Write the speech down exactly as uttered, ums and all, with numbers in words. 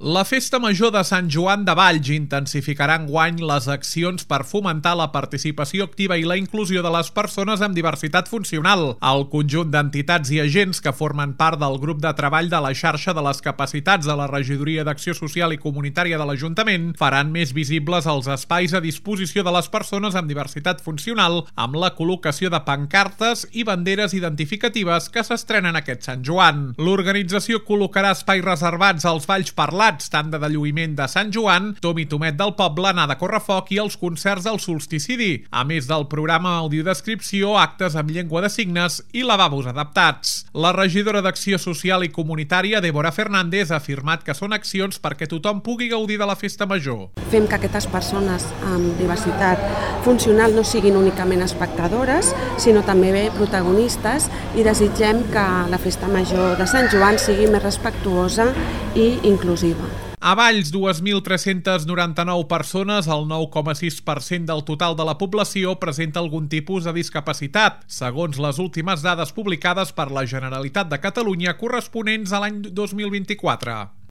La Festa Major de Sant Joan de Valls intensificarà enguany les accions per fomentar la participació activa i la inclusió de les persones amb diversitat funcional. El conjunt d'entitats i agents que formen part del grup de treball de la xarxa de les capacitats de la Regidoria d'Acció Social i Comunitària de l'Ajuntament faran més visibles els espais a disposició de les persones amb diversitat funcional amb la col·locació de pancartes i banderes identificatives que s'estrenen aquest Sant Joan. L'organització col·locarà espais reservats als balls parlats, tanda de lluïment de Sant Joan, Tom i Tomet del Poble, anar de correfoc i els concerts del solsticidi, a més del programa audiodescripció, actes amb llengua de signes i lavabos adaptats. La regidora d'Acció Social i Comunitària, Débora Fernández, ha afirmat que són accions perquè tothom pugui gaudir de la Festa Major. Fem que aquestes persones amb diversitat funcional no siguin únicament espectadores, sinó també protagonistes, i desitgem que la Festa Major de Sant Joan sigui més respectuosa i inclusiva. A Valls, dues mil tres-centes noranta-nou persones, el nou coma sis per cent del total de la població, presenta algun tipus de discapacitat, segons les últimes dades publicades per la Generalitat de Catalunya corresponents a l'any dos mil vint-i-quatre.